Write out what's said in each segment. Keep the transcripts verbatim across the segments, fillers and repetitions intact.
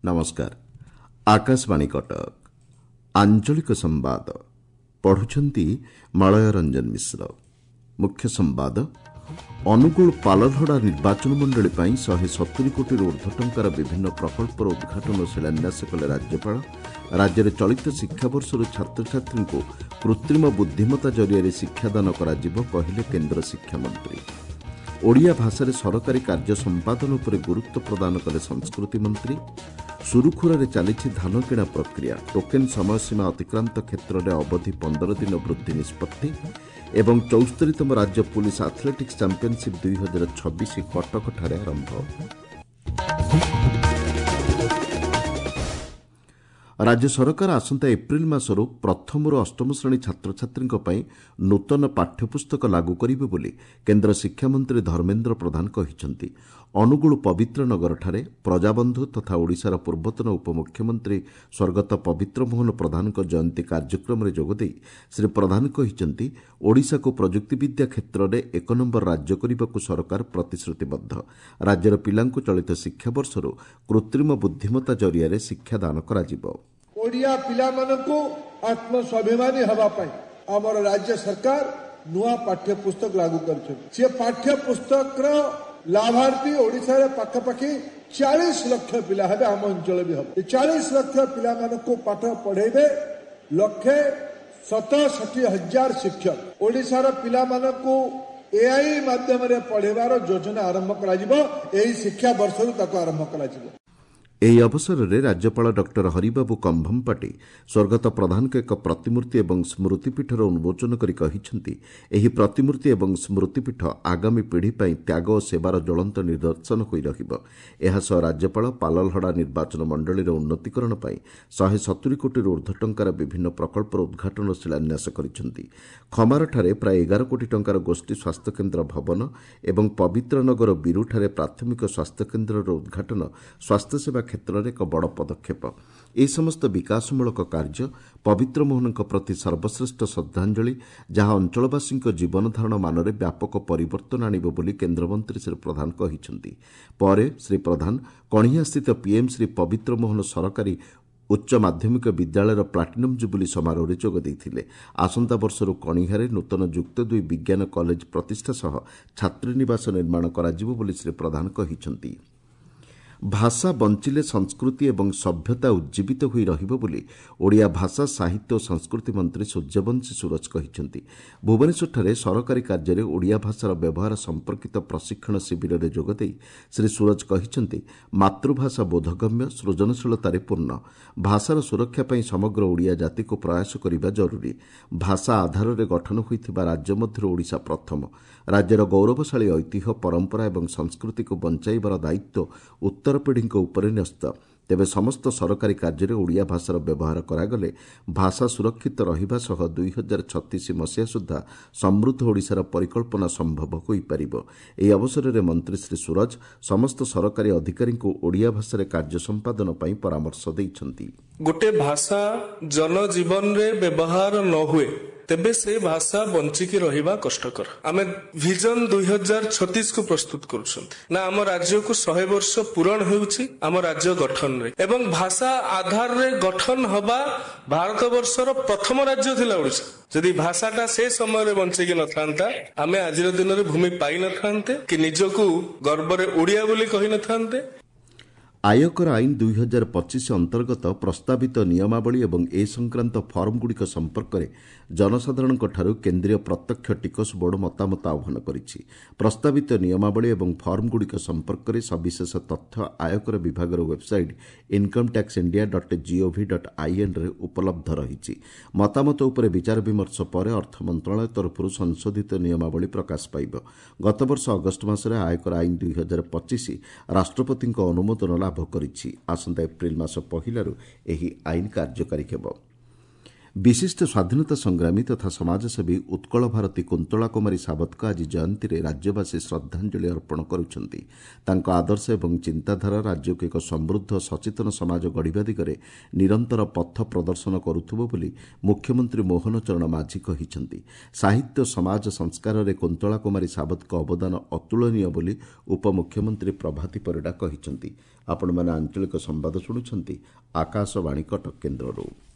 ନମସ୍କାର ଆକାଶବାଣୀ କଟକ ଆଞ୍ଚଳିକ ସମ୍ବାଦ ପଢୁଛନ୍ତି ମଳୟ ରଞ୍ଜନ ମିଶ୍ର ମୁଖ୍ୟ ସମ୍ବାଦ ଅନୁଗୁଳ ପାଲଲହଡ଼ା ନିର୍ବାଚନ ମଣ୍ଡଳୀ ପାଇଁ ଶହେ ସତୁରି କୋଟିରୁ ଉର୍ଦ୍ଧ୍ୱ ଟଙ୍କାର ବିଭିନ୍ନ ପ୍ରକଳ୍ପର ଉଦ୍ଘାଟନ ଓ ଶିଳାନ୍ୟାସ କଲେ ରାଜ୍ୟପାଳ ରାଜ୍ୟରେ ଚଳିତ ଶିକ୍ଷାବର୍ଷରୁ ଛାତ୍ରଛାତ୍ରୀଙ୍କୁ କୃତ୍ରିମ ବୁଦ୍ଧିମତ୍ତା ଜରିଆରେ ଶିକ୍ଷାଦାନ କରାଯିବ କହିଲେ କେନ୍ଦ୍ର ଶିକ୍ଷାମନ୍ତ୍ରୀ ଓଡ଼ିଆ ଭାଷାରେ ସରକାରୀ କାର୍ଯ୍ୟ ସମ୍ପାଦନ ଉପରେ ଗୁରୁତ୍ୱ ପ୍ରଦାନ କଲେ ସଂସ୍କୃତି ମନ୍ତ୍ରୀ ସୁରୁଖୁରୁରେ ଚାଲିଛି ଧାନ କିଣା ପ୍ରକ୍ରିୟା ଟୋକେନ୍ ସମୟସୀମା ଅତିକ୍ରାନ୍ତ କ୍ଷେତ୍ରରେ ଅବଧି ପନ୍ଦର ଦିନ ବୃଦ୍ଧି ନିଷ୍ପତ୍ତି ଏବଂ ଚଉସ୍ତରୀତମ ରାଜ୍ୟ ପୁଲିସ ଆଥଲେଟିକ୍ସ ଚାମ୍ପିୟନସିପ୍ ଦୁଇ ହଜାର ଛବିଶ କଟକଠାରେ ଆରମ୍ଭ ରାଜ୍ୟ ସରକାର ଆସନ୍ତା ଏପ୍ରିଲ ମାସରୁ ପ୍ରଥମରୁ ଅଷ୍ଟମ ଶ୍ରେଣୀ ଛାତ୍ରଛାତ୍ରୀଙ୍କ ପାଇଁ ନୂତନ ପାଠ୍ୟପୁସ୍ତକ ଲାଗୁ କରିବେ ବୋଲି କେନ୍ଦ୍ର ଶିକ୍ଷାମନ୍ତ୍ରୀ ଧର୍ମେନ୍ଦ୍ର ପ୍ରଧାନ କହିଛନ୍ତି ଅନୁଗୁଳ ପବିତ୍ର ନଗରଠାରେ ପ୍ରଜାବନ୍ଧୁ ତଥା ଓଡ଼ିଶାର ପୂର୍ବତନ ଉପମୁଖ୍ୟମନ୍ତ୍ରୀ ସ୍ୱର୍ଗତ ପବିତ୍ର ମୋହନ ପ୍ରଧାନଙ୍କ ଜୟନ୍ତୀ କାର୍ଯ୍ୟକ୍ରମରେ ଯୋଗଦେଇ ଶ୍ରୀ ପ୍ରଧାନ କହିଛନ୍ତି ଓଡ଼ିଶାକୁ ପ୍ରଯୁକ୍ତିବିଦ୍ୟା କ୍ଷେତ୍ରରେ ଏକ ନମ୍ବର ରାଜ୍ୟ କରିବାକୁ ସରକାର ପ୍ରତିଶ୍ରୁତିବଦ୍ଧ ରାଜ୍ୟର ପିଲାଙ୍କୁ ଚଳିତ ଶିକ୍ଷାବର୍ଷରୁ କୃତ୍ରିମ ବୁଦ୍ଧିମତ୍ତା ଜରିଆରେ ଶିକ୍ଷାଦାନ କରାଯିବ ଓଡ଼ିଆ ପିଲାମାନଙ୍କୁ ଆତ୍ମସ୍ୱାଭିମାନୀ ହେବା ପାଇଁ ଆମର ରାଜ୍ୟ ସରକାର ନୂଆ ପାଠ୍ୟପୁସ୍ତକ ଲାଗୁ କରିଛନ୍ତି ସେ ପାଠ୍ୟପୁସ୍ତକର ଲାଭାର୍ଥୀ ଓଡ଼ିଶାରେ ପାଖାପାଖି ଚାଳିଶ ଲକ୍ଷ ପିଲା ହେବେ ଆମ ଅଞ୍ଚଳ ବି ହେବ ଏ ଚାଳିଶ ଲକ୍ଷ ପିଲାମାନଙ୍କୁ ପାଠ ପଢ଼େଇବେ ଲକ୍ଷେ ସତଷଠି ହଜାର ଶିକ୍ଷକ ଓଡ଼ିଶାର ପିଲାମାନଙ୍କୁ ଏଆଇ ମାଧ୍ୟମରେ ପଢ଼େଇବାର ଯୋଜନା ଆରମ୍ଭ କରାଯିବ ଏହି ଶିକ୍ଷା ବର୍ଷରୁ ତାକୁ ଆରମ୍ଭ କରାଯିବ ଏହି ଅବସରରେ ରାଜ୍ୟପାଳ ଡକ୍ଟର ହରିବାବୁ କମ୍ଭମପାଟି ସ୍ୱର୍ଗତ ପ୍ରଧାନଙ୍କ ଏକ ପ୍ରତିମୂର୍ତ୍ତି ଏବଂ ସ୍ମୃତିପୀଠର ଉନ୍ମୋଚନ କରି କହିଛନ୍ତି ଏହି ପ୍ରତିମୂର୍ତ୍ତି ଏବଂ ସ୍ମୃତିପୀଠ ଆଗାମୀ ପିଢ଼ି ପାଇଁ ତ୍ୟାଗ ଓ ସେବାର ଜ୍ୱଳନ୍ତ ନିଦର୍ଶନ ହୋଇ ରହିବ ଏହାସହ ରାଜ୍ୟପାଳ ପାଲଲହଡ଼ା ନିର୍ବାଚନ ମଣ୍ଡଳୀର ଉନ୍ନତିକରଣ ପାଇଁ ଶହେ ସତୁରି କୋଟିରୁ ଉର୍ଦ୍ଧ୍ୱ ଟଙ୍କାର ବିଭିନ୍ନ ପ୍ରକଳ୍ପର ଉଦ୍ଘାଟନ ଓ ଶିଳାନ୍ୟାସ କରିଛନ୍ତି ଖମାରଠାରେ ପ୍ରାୟ ଏଗାର କୋଟି ଟଙ୍କାର ଗୋଷ୍ଠୀ ସ୍ୱାସ୍ଥ୍ୟକେନ୍ଦ୍ର ଭବନ ଏବଂ ପବିତ୍ରନଗର ବିରୁଠାରେ ପ୍ରାଥମିକ ସ୍ୱାସ୍ଥ୍ୟକେନ୍ଦ୍ରର ଉଦ୍ଘାଟନ ସ୍ୱାସ୍ଥ୍ୟସେବା କ୍ଷେତ୍ରରେ ଏକ ବଡ଼ ପଦକ୍ଷେପ ଏହି ସମସ୍ତ ବିକାଶମୂଳକ କାର୍ଯ୍ୟ ପବିତ୍ର ମୋହନଙ୍କ ପ୍ରତି ସର୍ବଶ୍ରେଷ୍ଠ ଶ୍ରଦ୍ଧାଞ୍ଜଳି ଯାହା ଅଞ୍ଚଳବାସୀଙ୍କ ଜୀବନଧାରଣ ମାନରେ ବ୍ୟାପକ ପରିବର୍ତ୍ତନ ଆଣିବ ବୋଲି କେନ୍ଦ୍ରମନ୍ତ୍ରୀ ଶ୍ରୀ ପ୍ରଧାନ କହିଛନ୍ତି ପରେ ଶ୍ରୀ ପ୍ରଧାନ କଣିହାଁସ୍ଥିତ ପିଏମ୍ ଶ୍ରୀ ପବିତ୍ର ମୋହନ ସରକାରୀ ଉଚ୍ଚ ମାଧ୍ୟମିକ ବିଦ୍ୟାଳୟର ପ୍ଲାଟିନମ୍ ଜୁବୁଲି ସମାରୋହରେ ଯୋଗ ଦେଇଥିଲେ ଆସନ୍ତା ବର୍ଷରୁ କଣିହାଁରେ ନୂତନ ଯୁକ୍ତ ଦୁଇ ବିଜ୍ଞାନ କଲେଜ ପ୍ରତିଷ୍ଠା ସହ ଛାତ୍ରୀନିବାସ ନିର୍ମାଣ କରାଯିବ ବୋଲି ଶ୍ରୀ ପ୍ରଧାନ କହିଛନ୍ତି ଭାଷା ବଞ୍ଚିଲେ ସଂସ୍କୃତି ଏବଂ ସଭ୍ୟତା ଉଜ୍ଜୀବିତ ହୋଇ ରହିବ ବୋଲି ଓଡ଼ିଆ ଭାଷା ସାହିତ୍ୟ ଓ ସଂସ୍କୃତି ମନ୍ତ୍ରୀ ସୂର୍ଯ୍ୟବଂଶୀ ସୂରଜ କହିଛନ୍ତି ଭୁବନେଶ୍ୱରଠାରେ ସରକାରୀ କାର୍ଯ୍ୟରେ ଓଡ଼ିଆ ଭାଷାର ବ୍ୟବହାର ସମ୍ପର୍କିତ ପ୍ରଶିକ୍ଷଣ ଶିବିରରେ ଯୋଗଦେଇ ଶ୍ରୀ ସୂରଜ କହିଛନ୍ତି ମାତୃଭାଷା ବୋଧଗମ୍ୟ ସୃଜନଶୀଳତାରେ ପୂର୍ଣ୍ଣ ଭାଷାର ସୁରକ୍ଷା ପାଇଁ ସମଗ୍ର ଓଡ଼ିଆ ଜାତିକୁ ପ୍ରୟାସ କରିବା ଜରୁରୀ ଭାଷା ଆଧାରରେ ଗଠନ ହୋଇଥିବା ରାଜ୍ୟ ମଧ୍ୟରୁ ଓଡ଼ିଶା ପ୍ରଥମ ରାଜ୍ୟର ଗୌରବଶାଳୀ ଐତିହ୍ୟ ପରମ୍ପରା ଏବଂ ସଂସ୍କୃତିକୁ ବଞ୍ଚାଇବାର ଦାୟିତ୍ୱ ଉତ୍ତରପିଢ଼ିଙ୍କ ଉପରେ ନ୍ୟସ୍ତ ତେବେ ସମସ୍ତ ସରକାରୀ କାର୍ଯ୍ୟରେ ଓଡ଼ିଆ ଭାଷାର ବ୍ୟବହାର କରାଗଲେ ଭାଷା ସୁରକ୍ଷିତ ରହିବା ସହ ଦୁଇ ହଜାର ଛତିଶ ମସିହା ସୁଦ୍ଧା ସମୃଦ୍ଧ ଓଡ଼ିଶାର ପରିକଳ୍ପନା ସମ୍ଭବ ହୋଇପାରିବ ଏହି ଅବସରରେ ମନ୍ତ୍ରୀ ଶ୍ରୀ ସୂରଜ ସମସ୍ତ ସରକାରୀ ଅଧିକାରୀଙ୍କୁ ଓଡ଼ିଆ ଭାଷାରେ କାର୍ଯ୍ୟ ସମ୍ପାଦନ ପାଇଁ ପରାମର୍ଶ ଦେଇଛନ୍ତି ଗୋଟେ ଭାଷା ଜନଜୀବନରେ ବ୍ୟବହାର ନ ହୁଏ ତେବେ ସେ ଭାଷା ବଞ୍ଚିକି ରହିବା କଷ୍ଟକର ଆମେ ଭିଜନ ଦୁଇ ହଜାର ଛତିଶକୁ ପ୍ରସ୍ତୁତ କରୁଛନ୍ତି ନା ଆମ ରାଜ୍ୟକୁ ଶହେ ବର୍ଷ ପୂରଣ ହେଉଛି ଆମ ରାଜ୍ୟ ଗଠନରେ ଏବଂ ଭାଷା ଆଧାରରେ ଗଠନ ହବା ଭାରତ ବର୍ଷର ପ୍ରଥମ ରାଜ୍ୟ ଥିଲା ଓଡ଼ିଶା ଯଦି ଭାଷାଟା ସେ ସମୟରେ ବଞ୍ଚିକି ନଥାନ୍ତା ଆମେ ଆଜିର ଦିନରେ ଭୂମି ପାଇନଥାନ୍ତେ କି ନିଜକୁ ଗର୍ବରେ ଓଡ଼ିଆ ବୋଲି କହିନଥାନ୍ତେ ଆୟକର ଆଇନ ଦୁଇ ହଜାର ପଚିଶ ଅନ୍ତର୍ଗତ ପ୍ରସ୍ତାବିତ ନିୟମାବଳୀ ଏବଂ ଏ ସଂକ୍ରାନ୍ତ ଫର୍ମଗୁଡ଼ିକ ସମ୍ପର୍କରେ ଜନସାଧାରଣଙ୍କଠାରୁ କେନ୍ଦ୍ରୀୟ ପ୍ରତ୍ୟକ୍ଷ ଟିକସ ବୋର୍ଡ ମତାମତ ଆହ୍ୱାନ କରିଛି ପ୍ରସ୍ତାବିତ ନିୟମାବଳୀ ଏବଂ ଫର୍ମଗୁଡ଼ିକ ସମ୍ପର୍କରେ ସବିଶେଷ ତଥ୍ୟ ଆୟକର ବିଭାଗର website income tax India dot gov dot ଆଇଏନ୍ରେ ଉପଲବ୍ଧ ରହିଛି ମତାମତ ଉପରେ ବିଚାର ବିମର୍ଶ ପରେ ଅର୍ଥ ମନ୍ତ୍ରଣାଳୟ ତରଫରୁ ସଂଶୋଧିତ ନିୟମାବଳୀ ପ୍ରକାଶ ପାଇବ ଗତବର୍ଷ ଅଗଷ୍ଟ ମାସରେ ଆୟକର ଆଇନ ଦୁଇ ହଜାର ପଚିଶ ରାଷ୍ଟ୍ରପତିଙ୍କ ଅନୁମୋଦନ ଲାଭ କରିଛି ଆସନ୍ତା ଏପ୍ରିଲ ମାସ ପହିଲାରୁ ଏହି ଆଇନ କାର୍ଯ୍ୟକାରୀ ହେବ ବିଶିଷ୍ଟ ସ୍ୱାଧୀନତା ସଂଗ୍ରାମୀ ତଥା ସମାଜସେବୀ ଉତ୍କଳ ଭାରତୀ କୁନ୍ତଳା କୁମାରୀ ସାବତଙ୍କ ଆଜି ଜୟନ୍ତୀରେ ରାଜ୍ୟବାସୀ ଶ୍ରଦ୍ଧାଞ୍ଜଳି ଅର୍ପଣ କରୁଛନ୍ତି। ତାଙ୍କ ଆଦର୍ଶ ଏବଂ ଚିନ୍ତାଧାରା ରାଜ୍ୟକୁ ଏକ ସମୃଦ୍ଧ ସଚେତନ ସମାଜ ଗଢ଼ିବା ଦିଗରେ ନିରନ୍ତର ପଥ ପ୍ରଦର୍ଶନ କରୁଥିବ ବୋଲି ମୁଖ୍ୟମନ୍ତ୍ରୀ ମୋହନ ଚରଣ ମାଝୀ କହିଛନ୍ତି। ସାହିତ୍ୟ ସମାଜ ସଂସ୍କାରରେ କୁନ୍ତଳା କୁମାରୀ ସାବତଙ୍କ ଅବଦାନ ଅତୁଳନୀୟ ବୋଲି ଉପମୁଖ୍ୟମନ୍ତ୍ରୀ ପ୍ରଭାତୀ ପରିଡ଼ା କହିଛନ୍ତି। ଆପଣମାନେ ଆଞ୍ଚଳିକ ସମ୍ବାଦ ଶୁଣୁଛନ୍ତି ଆକାଶବାଣୀ କଟକ କେନ୍ଦ୍ରରୁ।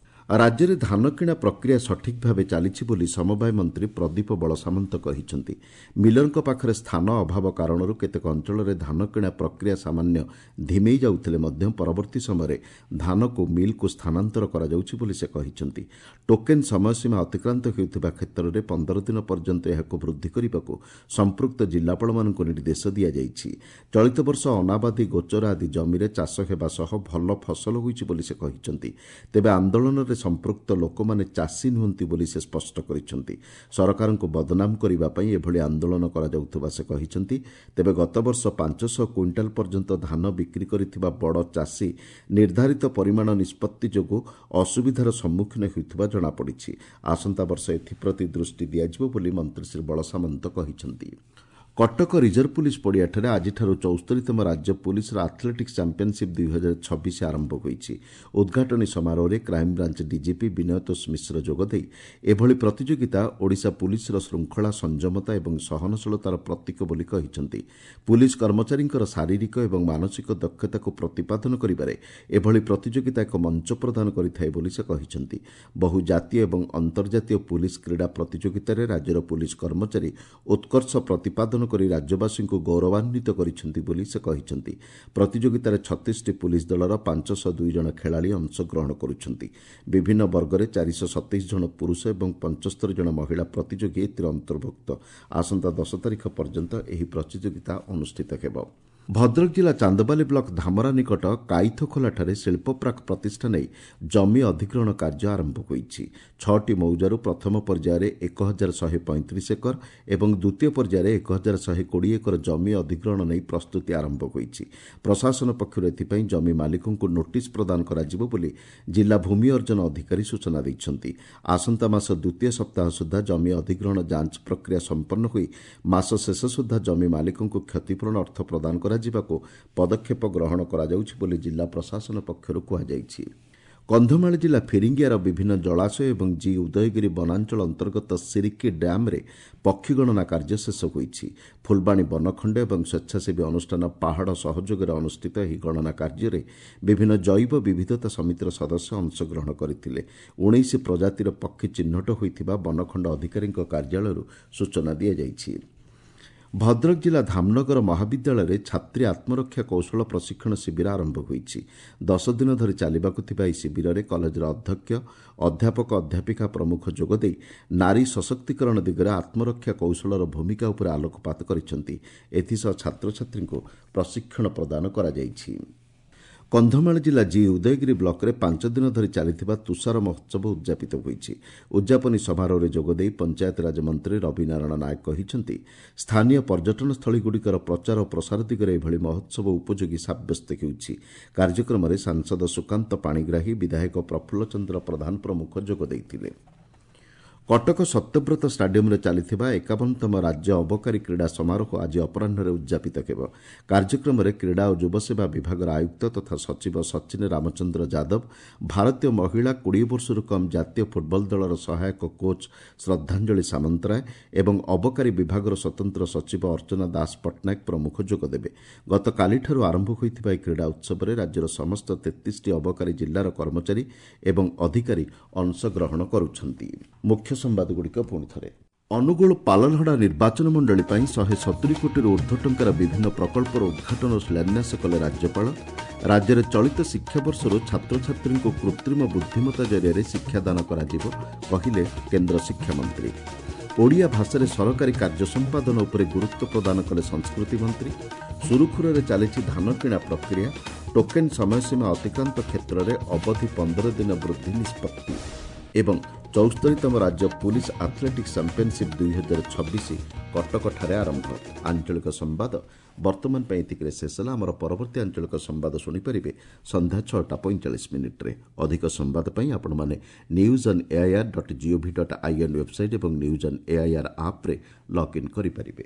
ରାଜ୍ୟରେ ଧାନ କିଣା ପ୍ରକ୍ରିୟା ସଠିକ୍ ଭାବେ ଚାଲିଛି ବୋଲି ସମବାୟ ମନ୍ତ୍ରୀ ପ୍ରଦୀପ ବଳସାମନ୍ତ କହିଛନ୍ତି। ମିଲରଙ୍କ ପାଖରେ ସ୍ଥାନ ଅଭାବ କାରଣରୁ କେତେକ ଅଞ୍ଚଳରେ ଧାନ କିଣା ପ୍ରକ୍ରିୟା ସାମାନ୍ୟ ଧିମେଇ ଯାଉଥିଲେ ମଧ୍ୟ ପରବର୍ତ୍ତୀ ସମୟରେ ଧାନକୁ ମିଲ୍କୁ ସ୍ଥାନାନ୍ତର କରାଯାଉଛି ବୋଲି ସେ କହିଛନ୍ତି। ଟୋକେନ୍ ସମୟସୀମା ଅତିକ୍ରାନ୍ତ ହେଉଥିବା କ୍ଷେତ୍ରରେ ପନ୍ଦର ଦିନ ପର୍ଯ୍ୟନ୍ତ ଏହାକୁ ବୃଦ୍ଧି କରିବାକୁ ସମ୍ପୃକ୍ତ ଜିଲ୍ଲାପାଳମାନଙ୍କୁ ନିର୍ଦ୍ଦେଶ ଦିଆଯାଇଛି। ଚଳିତ ବର୍ଷ ଅନାବାଦୀ ଗୋଚର ଆଦି ଜମିରେ ଚାଷ ହେବା ସହ ଭଲ ଫସଲ ହୋଇଛି ବୋଲି ସେ କହିଛନ୍ତି। ତେବେ ଆନ୍ଦୋଳନରେ ସମ୍ପୃକ୍ତ ଲୋକମାନେ ଚାଷୀ ନୁହନ୍ତି ବୋଲି ସେ ସ୍ପଷ୍ଟ କରିଛନ୍ତି। ସରକାରଙ୍କୁ ବଦନାମ କରିବା ପାଇଁ ଏଭଳି ଆନ୍ଦୋଳନ କରାଯାଉଥିବା ସେ କହିଛନ୍ତି। ତେବେ ଗତବର୍ଷ ପାଞ୍ଚଶହ କୁଇଣ୍ଟାଲ ପର୍ଯ୍ୟନ୍ତ ଧାନ ବିକ୍ରି କରିଥିବା ବଡ଼ ଚାଷୀ ନିର୍ଦ୍ଧାରିତ ପରିମାଣ ନିଷ୍ପତ୍ତି ଯୋଗୁଁ ଅସୁବିଧାର ସମ୍ମୁଖୀନ ହେଉଥିବା ଜଣାପଡ଼ିଛି। ଆସନ୍ତା ବର୍ଷ ଏଥିପ୍ରତି ଦୃଷ୍ଟି ଦିଆଯିବ ବୋଲି ମନ୍ତ୍ରୀ ଶ୍ରୀ ବଳସାମନ୍ତ କହିଛନ୍ତି। କଟକ ରିଜର୍ଭ ପୁଲିସ୍ ପଡ଼ିଆଠାରେ ଆଜିଠାରୁ ଚଉସ୍ତରୀତମ ରାଜ୍ୟ ପୁଲିସ୍ର ଆଥଲେଟିକ୍ସ ଚାମ୍ପିୟନସିପ୍ ଦୁଇ ହଜାର ଛବିଶ ଆରମ୍ଭ ହୋଇଛି। ଉଦ୍ଘାଟନୀ ସମାରୋହରେ କ୍ରାଇମବ୍ରାଞ୍ଚ ଡିଜିପି ବିନୟତୋଷ ମିଶ୍ର ଯୋଗଦେଇ ଏଭଳି ପ୍ରତିଯୋଗିତା ଓଡ଼ିଶା ପୁଲିସ୍ର ଶୃଙ୍ଖଳା, ସଂଯମତା ଏବଂ ସହନଶୀଳତାର ପ୍ରତୀକ ବୋଲି କହିଛନ୍ତି। ପୁଲିସ୍ କର୍ମଚାରୀଙ୍କର ଶାରୀରିକ ଏବଂ ମାନସିକ ଦକ୍ଷତାକୁ ପ୍ରତିପାଦନ କରିବାରେ ଏଭଳି ପ୍ରତିଯୋଗିତା ଏକ ମଞ୍ଚ ପ୍ରଦାନ କରିଥାଏ ବୋଲି ସେ କହିଛନ୍ତି। ବହୁ ଜାତୀୟ ଏବଂ ଅନ୍ତର୍ଜାତୀୟ ପୁଲିସ୍ କ୍ରୀଡ଼ା ପ୍ରତିଯୋଗିତାରେ ରାଜ୍ୟର ପୁଲିସ୍ କର୍ମଚାରୀ ଉତ୍କର୍ଷ ପ୍ରତିପାଦନ କରି ରାଜ୍ୟବାସୀଙ୍କୁ ଗୌରବାନ୍ୱିତ କରିଛନ୍ତି ବୋଲି ସେ କହିଛନ୍ତି। ପ୍ରତିଯୋଗିତାରେ ଛତିଶଟି ପୁଲିସ୍ ଦଳର ପାଞ୍ଚଶହ ଦୁଇ ଜଣ ଖେଳାଳି ଅଂଶଗ୍ରହଣ କରୁଛନ୍ତି। ବିଭିନ୍ନ ବର୍ଗରେ ଚାରିଶହ ସତେଇଶ ଜଣ ପୁରୁଷ ଏବଂ ପଞ୍ଚସ୍ତରୀ ଜଣ ମହିଳା ପ୍ରତିଯୋଗୀ ଏଥିରେ ଅନ୍ତର୍ଭୁକ୍ତ। ଆସନ୍ତା ଦଶ ତାରିଖ ପର୍ଯ୍ୟନ୍ତ ଏହି ପ୍ରତିଯୋଗିତା ଅନୁଷ୍ଠିତ ହେବ। ଭଦ୍ରକ ଜିଲ୍ଲା ଚାନ୍ଦବାଲି ବ୍ଲକ ଧାମରା ନିକଟ କାଇଥଖୋଲାଠାରେ ଶିଳ୍ପପ୍ରାକ୍ ପ୍ରତିଷ୍ଠା ନେଇ ଜମି ଅଧିଗ୍ରହଣ କାର୍ଯ୍ୟ ଆରମ୍ଭ ହୋଇଛି। ଛଅଟି ମୌଜାରୁ ପ୍ରଥମ ପର୍ଯ୍ୟାୟରେ ଏକ ହଜାର ଶହେ ପଇଁତିରିଶ ଏକର ଏବଂ ଦ୍ୱିତୀୟ ପର୍ଯ୍ୟାୟରେ ଏକ ହଜାର ଶହେ କୋଡ଼ିଏ ଏକର ଜମି ଅଧିଗ୍ରହଣ ନେଇ ପ୍ରସ୍ତୁତି ଆରମ୍ଭ ହୋଇଛି। ପ୍ରଶାସନ ପକ୍ଷରୁ ଏଥିପାଇଁ ଜମି ମାଲିକଙ୍କୁ ନୋଟିସ୍ ପ୍ରଦାନ କରାଯିବ ବୋଲି ଜିଲ୍ଲା ଭୂମି ଅର୍ଜନ ଅଧିକାରୀ ସୂଚନା ଦେଇଛନ୍ତି। ଆସନ୍ତା ମାସ ଦ୍ୱିତୀୟ ସପ୍ତାହ ସୁଦ୍ଧା ଜମି ଅଧିଗ୍ରହଣ ଯାଞ୍ଚ ପ୍ରକ୍ରିୟା ସମ୍ପନ୍ନ ହୋଇ ମାସ ଶେଷ ସୁଦ୍ଧା ଜମି ମାଲିକଙ୍କୁ କ୍ଷତିପୂରଣ ଅର୍ଥ ପ୍ରଦାନ କରାଯିବ ଯିବାକୁ ପଦକ୍ଷେପ ଗ୍ରହଣ କରାଯାଉଛି ବୋଲି ଜିଲ୍ଲା ପ୍ରଶାସନ ପକ୍ଷରୁ କୁହାଯାଇଛି। କନ୍ଧମାଳ ଜିଲ୍ଲା ଫିରିଙ୍ଗିଆର ବିଭିନ୍ନ ଜଳାଶୟ ଏବଂ ଜି ଉଦୟଗିରି ବନାଞ୍ଚଳ ଅନ୍ତର୍ଗତ ସିରିକି ଡ୍ୟାମ୍ରେ ପକ୍ଷୀ ଗଣନା କାର୍ଯ୍ୟ ଶେଷ ହୋଇଛି। ଫୁଲବାଣୀ ବନଖଣ୍ଡ ଏବଂ ସ୍ୱେଚ୍ଛାସେବୀ ଅନୁଷ୍ଠାନ ପାହାଡ଼ ସହଯୋଗରେ ଅନୁଷ୍ଠିତ ଏହି ଗଣନା କାର୍ଯ୍ୟରେ ବିଭିନ୍ନ ଜୈବ ବିବିଧତା ସମିତିର ସଦସ୍ୟ ଅଂଶଗ୍ରହଣ କରିଥିଲେ। ଉଣେଇଶ ପ୍ରଜାତିର ପକ୍ଷୀ ଚିହ୍ନଟ ହୋଇଥିବା ବନଖଣ୍ଡ ଅଧିକାରୀଙ୍କ କାର୍ଯ୍ୟାଳୟରୁ ସୂଚନା ଦିଆଯାଇଛି। ଭଦ୍ରକ ଜିଲ୍ଲା ଧାମନଗର ମହାବିଦ୍ୟାଳୟରେ ଛାତ୍ରୀ ଆତ୍ମରକ୍ଷା କୌଶଳ ପ୍ରଶିକ୍ଷଣ ଶିବିର ଆରମ୍ଭ ହୋଇଛି। ଦଶ ଦିନ ଧରି ଚାଲିବାକୁ ଥିବା ଏହି ଶିବିରରେ କଲେଜର ଅଧ୍ୟକ୍ଷ, ଅଧ୍ୟାପକ, ଅଧ୍ୟାପିକା ପ୍ରମୁଖ ଯୋଗଦେଇ ନାରୀ ସଶକ୍ତିକରଣ ଦିଗରେ ଆତ୍ମରକ୍ଷା କୌଶଳର ଭୂମିକା ଉପରେ ଆଲୋକପାତ କରିଛନ୍ତି। ଏଥିସହ ଛାତ୍ରଛାତ୍ରୀଙ୍କୁ ପ୍ରଶିକ୍ଷଣ ପ୍ରଦାନ କରାଯାଇଛି। କନ୍ଧମାଳ ଜିଲ୍ଲା ଜି ଉଦୟଗିରି ବ୍ଲକରେ ପାଞ୍ଚ ଦିନ ଧରି ଚାଲିଥିବା ତୁଷାର ମହୋତ୍ସବ ଉଦ୍ଯାପିତ ହୋଇଛି। ଉଦ୍ଯାପନୀ ସମାରୋହରେ ଯୋଗଦେଇ ପଞ୍ଚାୟତରାଜ ମନ୍ତ୍ରୀ ରବି ନାରାୟଣ ନାୟକ କହିଛନ୍ତି, ସ୍ଥାନୀୟ ପର୍ଯ୍ୟଟନସ୍ଥଳୀଗୁଡ଼ିକର ପ୍ରଚାର ଓ ପ୍ରସାର ଦିଗରେ ଏଭଳି ମହୋତ୍ସବ ଉପଯୋଗୀ ସାବ୍ୟସ୍ତ ହେଉଛି। କାର୍ଯ୍ୟକ୍ରମରେ ସାଂସଦ ସୁକାନ୍ତ ପାଣିଗ୍ରାହୀ, ବିଧାୟକ ପ୍ରଫୁଲ୍ଲ ଚନ୍ଦ୍ର ପ୍ରଧାନ ପ୍ରମୁଖ ଯୋଗ ଦେଇଥିଲେ। କଟକ ସତ୍ୟବ୍ରତ ଷ୍ଟାଡିୟମରେ ଚାଲିଥିବା ଏକାବନତମ ରାଜ୍ୟ ଅବକାରୀ କ୍ରୀଡ଼ା ସମାରୋହ ଆଜି ଅପରାହ୍ନରେ ଉଦ୍ଯାପିତ ହେବ। କାର୍ଯ୍ୟକ୍ରମରେ କ୍ରୀଡ଼ା ଓ ଯୁବସେବା ବିଭାଗର ଆୟୁକ୍ତ ତଥା ସଚିବ ସଚିନ ରାମଚନ୍ଦ୍ର ଯାଦବ, ଭାରତୀୟ ମହିଳା କୋଡ଼ିଏ ବର୍ଷରୁ କମ୍ ଜାତୀୟ ଫୁଟବଲ ଦଳର ସହାୟକ କୋଚ୍ ଶ୍ରଦ୍ଧାଞ୍ଜଳି ସାମନ୍ତରାୟ ଏବଂ ଅବକାରୀ ବିଭାଗର ସ୍ୱତନ୍ତ୍ର ସଚିବ ଅର୍ଚ୍ଚନା ଦାସ ପଟ୍ଟନାୟକ ପ୍ରମୁଖ ଯୋଗଦେବେ। ଗତକାଲିଠାରୁ ଆରମ୍ଭ ହୋଇଥିବା ଏହି କ୍ରୀଡ଼ା ଉତ୍ସବରେ ରାଜ୍ୟର ସମସ୍ତ ତେତିଶଟି ଅବକାରୀ ଜିଲ୍ଲାର କର୍ମଚାରୀ ଏବଂ ଅଧିକାରୀ ଅଂଶଗ୍ରହଣ କରୁଛନ୍ତି। ମୁଖ୍ୟ ସମ୍ବାଦଗୁଡ଼ିକ ପୁଣି ଥରେ। ଅନୁଗୁଳ ପାଲଲହଡ଼ା ନିର୍ବାଚନ ମଣ୍ଡଳୀ ପାଇଁ ଶହେ ସତୁରି କୋଟିରୁ ଉର୍ଦ୍ଧ୍ୱ ଟଙ୍କାର ବିଭିନ୍ନ ପ୍ରକଳ୍ପର ଉଦ୍ଘାଟନ ଓ ଶିଳାନ୍ୟାସ କଲେ ରାଜ୍ୟପାଳ। ରାଜ୍ୟରେ ଚଳିତ ଶିକ୍ଷାବର୍ଷରୁ ଛାତ୍ରଛାତ୍ରୀଙ୍କୁ କୃତ୍ରିମ ବୁଦ୍ଧିମତ୍ତା ଜରିଆରେ ଶିକ୍ଷାଦାନ କରାଯିବ କହିଲେ କେନ୍ଦ୍ର ଶିକ୍ଷାମନ୍ତ୍ରୀ। ଓଡ଼ିଆ ଭାଷାରେ ସରକାରୀ କାର୍ଯ୍ୟ ସମ୍ପାଦନ ଉପରେ ଗୁରୁତ୍ୱ ପ୍ରଦାନ କଲେ ସଂସ୍କୃତି ମନ୍ତ୍ରୀ। ସୁରୁଖୁରୁରେ ଚାଲିଛି ଧାନ କିଣା ପ୍ରକ୍ରିୟା। ଟୋକେନ୍ ସମୟସୀମା ଅତିକ୍ରାନ୍ତ କ୍ଷେତ୍ରରେ ଅବଧି ପନ୍ଦର ଦିନ ବୃଦ୍ଧି ନିଷ୍ପତ୍ତି। ଏବଂ ଚଉସ୍ତରୀତମ ରାଜ୍ୟ ପୁଲିସ୍ ଆଥଲେଟିକ୍ସ ଚାମ୍ପିୟନସିପ୍ ଦୁଇ ହଜାର ଛବିଶ କଟକଠାରେ ଆରମ୍ଭ। ଆଞ୍ଚଳିକ ସମ୍ବାଦ ବର୍ତ୍ତମାନ ପାଇଁ ଏତିକିରେ ଶେଷ ହେଲା। ଆମର ପରବର୍ତ୍ତୀ ଆଞ୍ଚଳିକ ସମ୍ବାଦ ଶୁଣିପାରିବେ ସନ୍ଧ୍ୟା ଛଅଟା ପଇଁଚାଳିଶ ମିନିଟ୍ରେ। ଅଧିକ ସମ୍ବାଦ ପାଇଁ ଆପଣମାନେ news on AIR dot gov dot in website ଏବଂ ନ୍ୟୁଜ୍ ଅନ୍ ଏଆଇଆର୍ ଆପ୍ରେ ଲଗ୍ଇନ୍ କରିପାରିବେ।